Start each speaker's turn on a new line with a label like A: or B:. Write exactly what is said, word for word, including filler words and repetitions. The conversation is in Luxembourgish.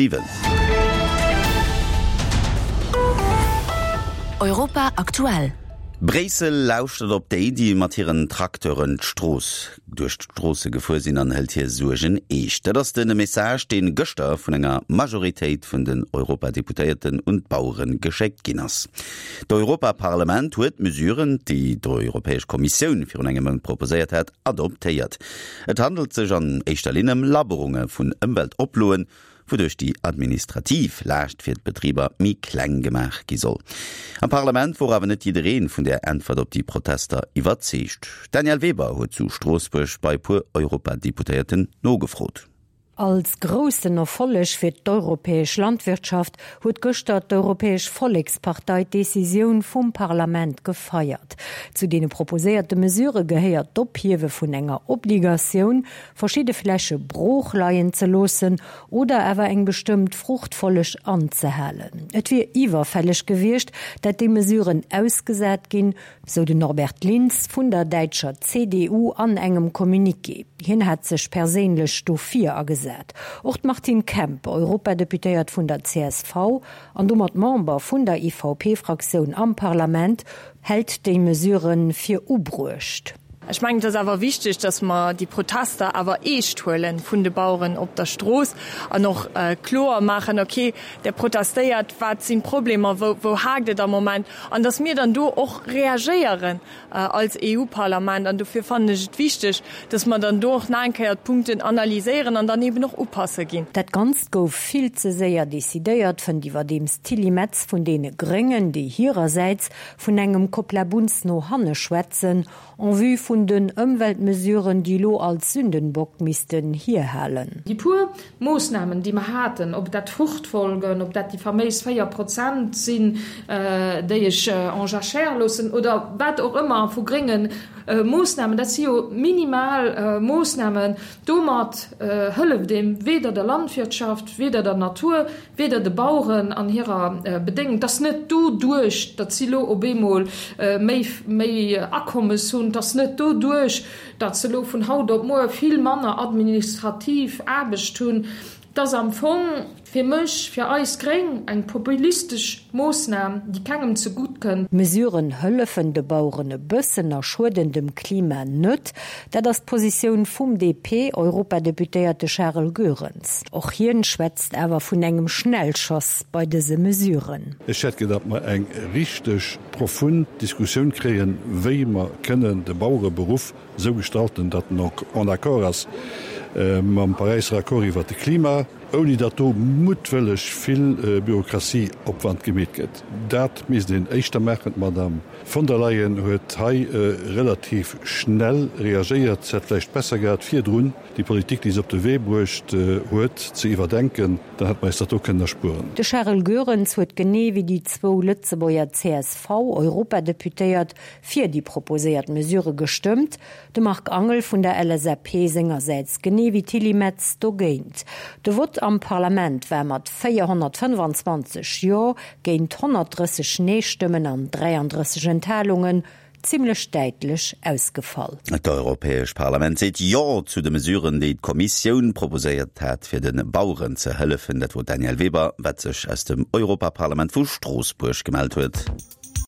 A: Siwen.
B: Europa aktuell.
A: Bréissel lauschtert op déi, déi mat hiren Trakteuren d'Strooss duerch d'Stroosse gefuer sinn an hëlt hir Suergen eescht. Dat ass de Message, dee gëschter vun enger Majoritéit vun den Europadeputéierten un d'Bauere geschéckt ginn ass. D'Europaparlament huet d'Mesuren, déi d'Europäesch Kommissioun virun engem Mount proposéiert hat, adoptéiert. Et handelt sech an éischter Linn ëm Labberunge vun Ëmweltoploen, wouduerch déi administrativ Laascht fir d'Betriber méi kleng gemaach gi soll. Am Parlament wor awer net jidderee vun där Äntwert op déi Protester iwwerzeegt. D'Danièle Weber huet zu Stroossbuerg bei e puer Europadeputéierten nogefrot.
C: Als groussen Erfolleg fir d'europäesch Landwirtschaft huet gëschter d'Europäesch Vollekspartei d'Decisioun vum Parlament gefeiert. Zu deene proposéierte Mesurë gehéiert d'Ophiewe vun enger Obligatioun, verschidde Fläche brooch leien ze loossen oder awer eng bestëmmt Fruchtfolleg anzehalen. Et wier iwwerfälleg gewiescht, dat déi Mesuren ausgesat ginn, sou den Norbert Lins vun der däitscher C D U an engem Communiqué. Hien hat sech perséinlech dofir agesat. Och d'Martine Kemp, Europadeputéiert vun der C S V an domat Member vun der E V P-Fraktioun am Parlament, hält déi Mesurë fir ubruecht.
D: Ech mengen, et ass awer wichteg, datt mer déi Protester awer eescht huelen vun de Baueren op der Strooss an och kloer maachen, okay, der protestéiert, wat sinn d'Problemer, wou, wou haakt et am Moment, an datt mir dann do och reagéieren als E U-Parlament. An dofir fannen ech et wichteg, datt mer dann do och nach eng Kéier d'Punkten analyséieren an dann eben och upasse ginn.
C: Dat Ganzt gouf vill ze séier decidéiert, fënnt iwwerdeems d'Tilly Metz vun deene Gréngen, déi hirersäits vun engem Kopplabunz no hanne schwätzen, en vue vun den Ëmweltmesuren, déi elo als Sündenbock missten hierhalen.
E: Déi puer Moossnamen, déi mer haten, ob dat Fruchtfolgen, ob dat déi faméis véier Prozent sinn, déi ech en jachère loossen, oder wat och ëmmer vu grénge Moossnamen, dat si jo minimal Moossnamen. Domat hëlleft een weder der Landwirtschaft, weder der Natur, weder de Baueren an hirer Bedéngung. Et ass net doduerch, datt si elo op eemol méi, méi Akommes hunn, et ass net doduerch, datt se elo vun haut op muer vill manner administrativ Aarbecht hunn. Et ass am Fong fir mech, fir eis Gréng, eng populistesch Moossnam, déi kengem zegutt kënnt.
C: D'Mesuren hëllefen de Baueren e bëssen a schueden dem Klima net. Dat ass d'Positioun vum D P-Europadeputéierte Charel Goerens. Och hien schwätzt awer vun engem Schnellschoss bei dëse Mesuren.
F: Ech hätt gedacht, mer eng richteg profund Diskussioun kréien, wéi mer kënnen de Bauereberuff esou gestalten, datt en en accord ass mam Paräisser Accord iwwer de Klima, ouni datt do muttwëlleg vill Bürokratieopwand gemeet gëtt. Dat misst een éischter maachen. D'Madame von der Leyen huet hei relativ schnell reagéiert. Se hätt vläicht besser gehat, virdrun déi Politik, déi se op de Wee bruecht huet, ze iwwerdenken. Dann hätt mer eis dat do kënnen erspueren.
C: De Charel Goerens huet genee wéi déi zwou Lëtzebuerger C S V-Europadeputéiert fir déi proposéiert Mesurë gestëmmt. De Marc Angel vun der L S A P sengersäits genee wéi Tilly Metz dogéint. De Vott am Parlament war mat véierhonnertfënnefanzwanzeg Jo géint honnertdrësseg Nee-Stëmmen an dräiandrësseg Enthalungen zimmlech däitlech ausgefall.
A: D'Europäesch Parlament seet Jo zu de Mesuren, déi d'Kommissioun proposéiert hat, fir de Baueren ze hëllefen. Dat wor d'Danièle Weber, wat sech aus dem Europaparlament vu Stroossbuerg gemellt huet.